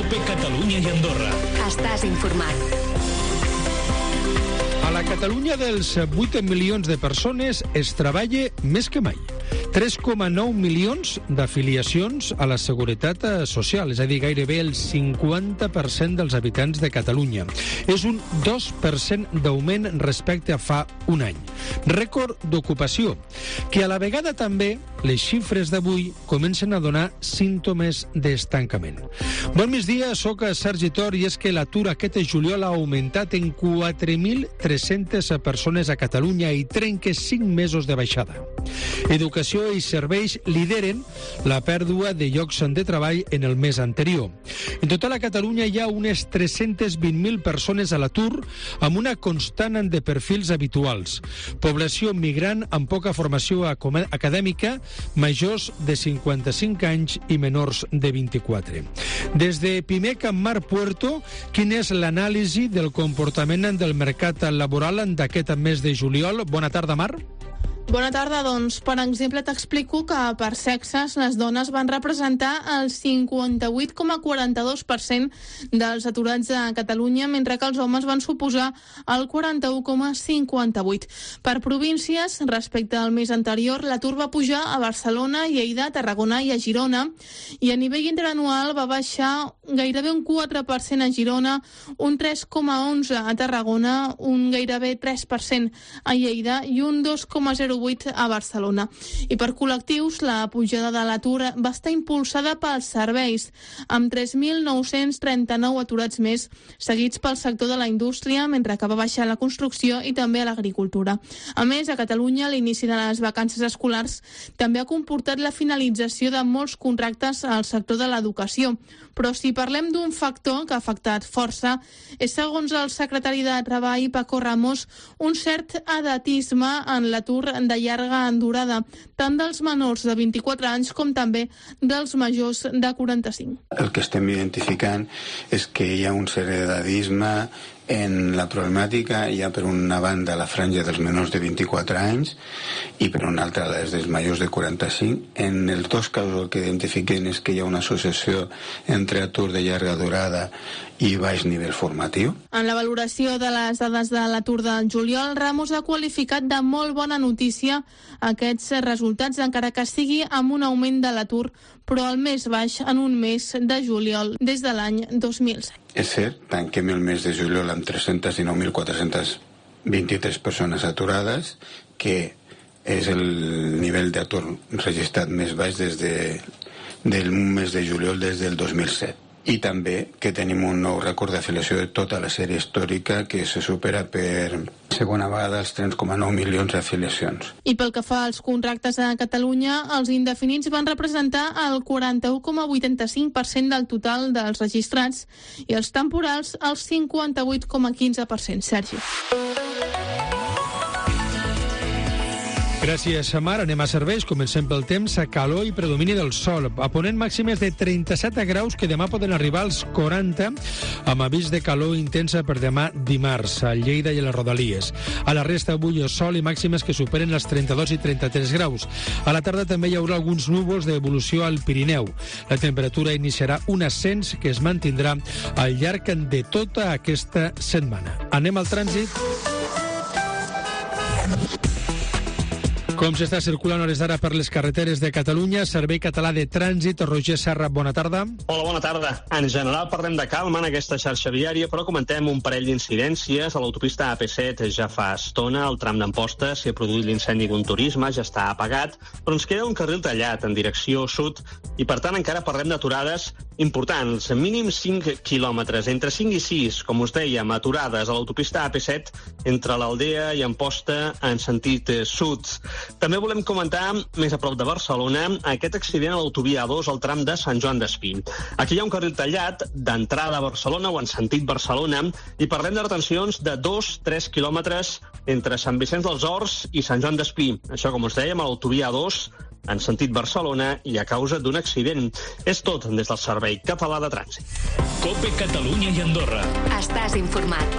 COPE Catalunya i Andorra. Estàs informat. A la Catalunya dels 8 milions de persones es treballa més que mai. 3,9 milions d'afiliacions a la Seguretat Social, és a dir, gairebé el 50% dels habitants de Catalunya. És un 2% d'augment respecte a fa un any. Rècord d'ocupació, que a la vegada també les xifres d'avui comencen a donar símptomes d'estancament. Bon migdia, soc Sergi Tor i és que l'atur aquest juliol ha augmentat en 4.300 persones a Catalunya i trenca 5 mesos de baixada. Educació i serveis lideren la pèrdua de llocs de treball en el mes anterior. En total a Catalunya hi ha unes 320.000 persones a l'atur amb una constant de perfils habituals. Població migrant amb poca formació acadèmica, majors de 55 anys i menors de 24. Des de Pimec a Mar Puerto, quina és l'anàlisi del comportament del mercat laboral d'aquest mes de juliol? Bona tarda, Mar. Bona tarda, doncs, per exemple, t'explico que per sexes les dones van representar el 58,42% dels aturats a Catalunya, mentre que els homes van suposar el 41,58%. Per províncies, respecte al mes anterior, l'atur va pujar a Barcelona, Lleida, Tarragona i a Girona, i a nivell interanual va baixar gairebé un 4% a Girona, un 3,11% a Tarragona, un gairebé 3% a Lleida i un 2,08% a Barcelona. I per col·lectius, la pujada de l'atur va estar impulsada pels serveis, amb 3.939 aturats més, seguits pel sector de la indústria, mentre que va baixar la construcció i també a l'agricultura. A més, a Catalunya, l'inici de les vacances escolars també ha comportat la finalització de molts contractes al sector de l'educació. Però si parlem d'un factor que ha afectat força, és, segons el secretari de Treball, Paco Ramos, un cert edatisme en l'atur de llarga durada, tant dels menors de 24 anys com també dels majors de 45. El que estem identificant és que hi ha un cert edadisme en la problemàtica. Hi ha per una banda la franja dels menors de 24 anys i per una altra les dels majors de 45. En els dos casos el que identifiquen és que hi ha una associació entre atur de llarga durada i baix nivell formatiu. En la valoració de les dades de l'atur del juliol, Ramos ha qualificat de molt bona notícia aquests resultats, encara que sigui amb un augment de l'atur, però el més baix en un mes de juliol des de l'any 2007. És cert, tanquem el mes de juliol amb 319.423 persones aturades, que és el nivell d'atur registrat més baix des del mes de juliol des del 2007. I també que tenim un nou rècord d'afiliació de tota la sèrie històrica, que se supera per segona vegada els 3,9 milions d'afiliacions. I pel que fa als contractes a Catalunya, els indefinits van representar el 41,85% del total dels registrats i els temporals el 58,15%. Sergi. Gràcies, Mar. Anem a serveis. Comencem pel temps. A calor i predomini del sol. A ponent màximes de 37 graus que demà poden arribar als 40, amb avís de calor intensa per demà dimarts a Lleida i a les Rodalies. A la resta avui sol i màximes que superen els 32 i 33 graus. A la tarda també hi haurà alguns núvols d'evolució al Pirineu. La temperatura iniciarà un ascens que es mantindrà al llarg de tota aquesta setmana. Anem al trànsit. Com s'està circulant a hores d'ara per les carreteres de Catalunya? Servei Català de Trànsit. Roger Serra, bona tarda. Hola, bona tarda. En general parlem de calma en aquesta xarxa viària, però comentem un parell d'incidències. A l'autopista AP7 ja fa estona, al tram d'Amposta s'hi ha produït l'incendi d'un turisme, ja està apagat, però ens queda un carril tallat en direcció sud i, per tant, encara parlem d'aturades importants. Mínim 5 quilòmetres, entre 5 i 6, com us dèiem, aturades a l'autopista AP7 entre l'Aldea i Amposta en sentit sud. També volem comentar, més a prop de Barcelona, aquest accident a l'autovia A2 al tram de Sant Joan d'Espí. Aquí hi ha un carril tallat d'entrada a Barcelona o en sentit Barcelona i parlem de retencions de 2-3 quilòmetres entre Sant Vicenç dels Horts i Sant Joan d'Espí. Això, com us dèiem, a l'autovia A2 en sentit Barcelona i a causa d'un accident. És tot des del Servei Català de Trànsit. COPE Catalunya i Andorra. Estàs informat.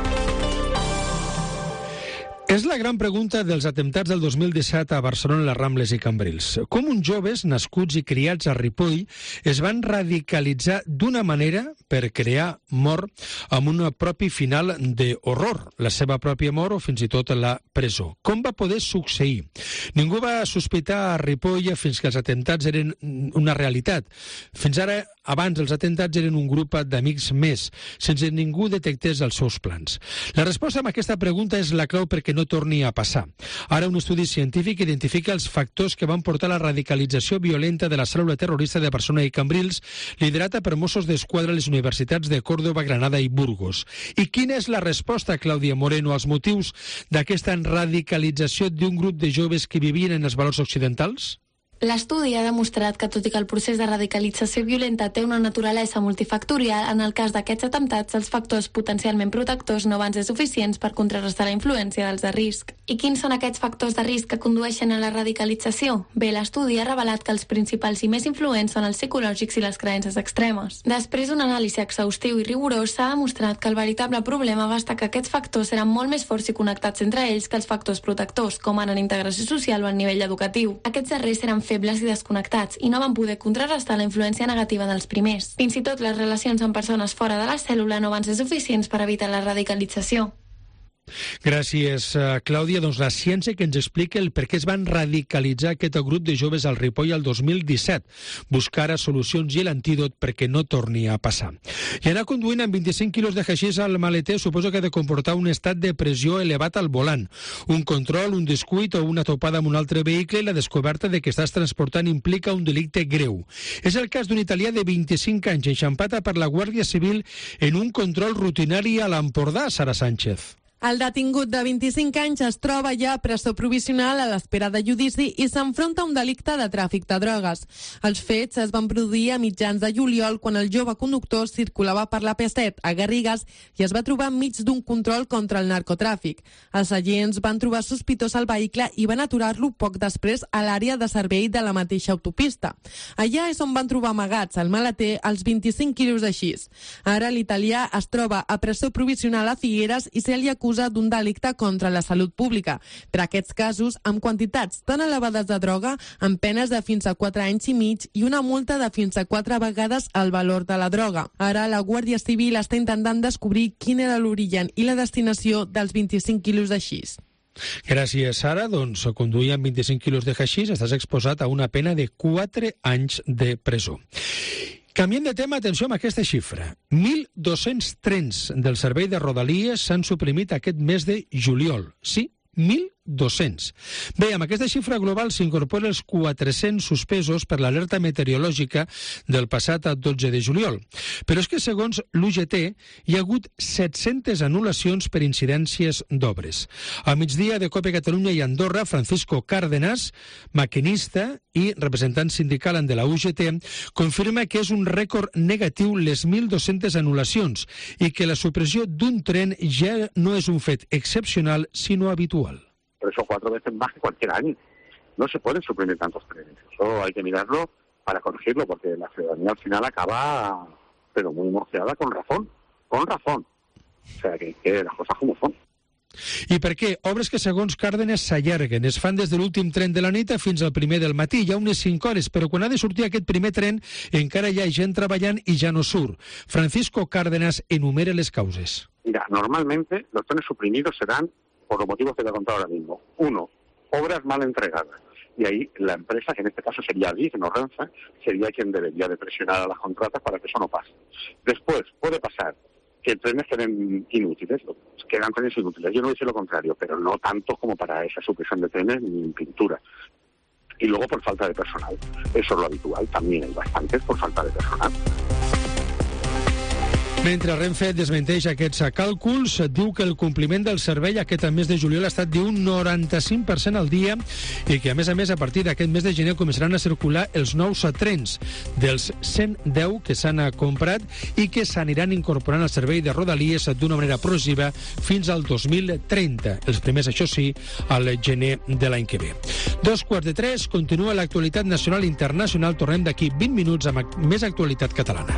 És la gran pregunta dels atemptats del 2017 a Barcelona, les Rambles i Cambrils. Com uns joves nascuts i criats a Ripoll es van radicalitzar d'una manera per crear mort amb un propi final d'horror, la seva pròpia mort o fins i tot la presó. Com va poder succeir? Ningú va sospitar a Ripoll fins que els atemptats eren una realitat. Fins ara, abans els atemptats eren un grup d'amics més, sense ningú detectés els seus plans. La resposta a aquesta pregunta és la clau perquè no torni a passar. Ara un estudi científic identifica els factors que van portar a la radicalització violenta de la cèl·lula terrorista de Barcelona i Cambrils, liderada per Mossos d'Esquadra a les universitats de Còrdova, Granada i Burgos. I quina és la resposta, Clàudia Moreno, als motius d'aquesta radicalització d'un grup de joves que vivien en els valors occidentals? L'estudi ha demostrat que, tot i que el procés de radicalització violenta té una naturalesa multifactorial, en el cas d'aquests atemptats, els factors potencialment protectors no van ser suficients per contrarrestar la influència dels de risc. I quins són aquests factors de risc que condueixen a la radicalització? Bé, l'estudi ha revelat que els principals i més influents són els psicològics i les creences extremes. Després d'un anàlisi exhaustiu i rigorós, s'ha demostrat que el veritable problema va estar que aquests factors eren molt més forts i connectats entre ells que els factors protectors, com en integració social o en nivell educatiu. Aquests darrers eren febles i desconnectats i no van poder contrarrestar la influència negativa dels primers. Fins i tot les relacions amb persones fora de la cèl·lula no van ser suficients per evitar la radicalització. Gràcies, Clàudia. Doncs la ciència que ens explica el per què es van radicalitzar aquest grup de joves al Ripoll al 2017. Buscar solucions i l'antídot perquè no torni a passar. I anar conduint amb 25 quilos de haixís al maleter suposo que ha de comportar un estat de pressió elevat al volant. Un control, un descuit o una topada amb un altre vehicle i la descoberta de que estàs transportant implica un delicte greu. És el cas d'un italià de 25 anys enxampat per la Guàrdia Civil en un control rutinari a l'Empordà, Sara Sánchez. El detingut de 25 anys es troba ja a presó provisional a l'espera de judici i s'enfronta a un delicte de tràfic de drogues. Els fets es van produir a mitjans de juliol quan el jove conductor circulava per la P7 a Garrigues i es va trobar enmig d'un control contra el narcotràfic. Els agents van trobar sospitós el vehicle i van aturar-lo poc després a l'àrea de servei de la mateixa autopista. Allà és on van trobar amagats al maleter els 25 quilos de xís. Ara l'italià es troba a presó provisional a Figueres i se li acusa d'un delicte contra la salut pública. Per aquests casos, amb quantitats tan elevades de droga, amb penes de fins a 4 anys i mig i una multa de fins a 4 vegades el valor de la droga. Ara la Guàrdia Civil està intentant descobrir quin era l'origen i la destinació dels 25 quilos de xís. Gràcies, Sara. Doncs conduir amb 25 quilos de haixís estàs exposat a una pena de 4 anys de presó. Canviem de tema, atenció amb aquesta xifra. 1.200 trens del servei de Rodalies s'han suprimit aquest mes de juliol. Sí, 1.200. Bé, amb aquesta xifra global s'incorporen els 400 suspesos per l'alerta meteorològica del passat 12 de juliol. Però és que, segons l'UGT, hi ha hagut 700 anul·lacions per incidències d'obres. A migdia de COPE Catalunya i Andorra, Francisco Cárdenas, maquinista i representant sindical de la UGT, confirma que és un rècord negatiu les 1.200 anul·lacions i que la supressió d'un tren ja no és un fet excepcional, sinó habitual. 3 o 4 veces más que cualquier año. No se pueden suprimir tantos trenes. Eso hay que mirarlo para corregirlo, porque la ciudadanía al final acaba, pero muy mosqueada, con razón. Con razón. O sea, que las cosas como son. I per què? Obres que, segons Cárdenas, s'allarguen. Es fan des de l'últim tren de la nit fins al primer del matí. Hi ha unes 5 hores, però quan ha de sortir aquest primer tren encara hi ha gent treballant i ja no surt. Francisco Cárdenas enumera les causes. Mira, normalmente los trenes suprimidos serán por los motivos que te he contado ahora mismo. 1, obras mal entregadas. Y ahí la empresa, que en este caso sería Adif, no Renfe, sería quien debería de presionar a las contratas para que eso no pase. Después, puede pasar que trenes queden inútiles, quedan trenes inútiles. Yo no dice lo contrario, pero no tantos como para esa supresión de trenes ni en pintura. Y luego por falta de personal. Eso es lo habitual, también hay bastantes por falta de personal. Mentre Renfe desmenteix aquests càlculs, diu que el compliment del servei aquest mes de juliol ha estat d'un 95% al dia i que, a més, a partir d'aquest mes de gener començaran a circular els nous trens dels 110 que s'han comprat i que s'aniran incorporant al servei de Rodalies d'una manera progressiva fins al 2030. Els primers, això sí, al gener de l'any que ve. 2:45, continua l'actualitat nacional i internacional. Tornem d'aquí 20 minuts amb més actualitat catalana.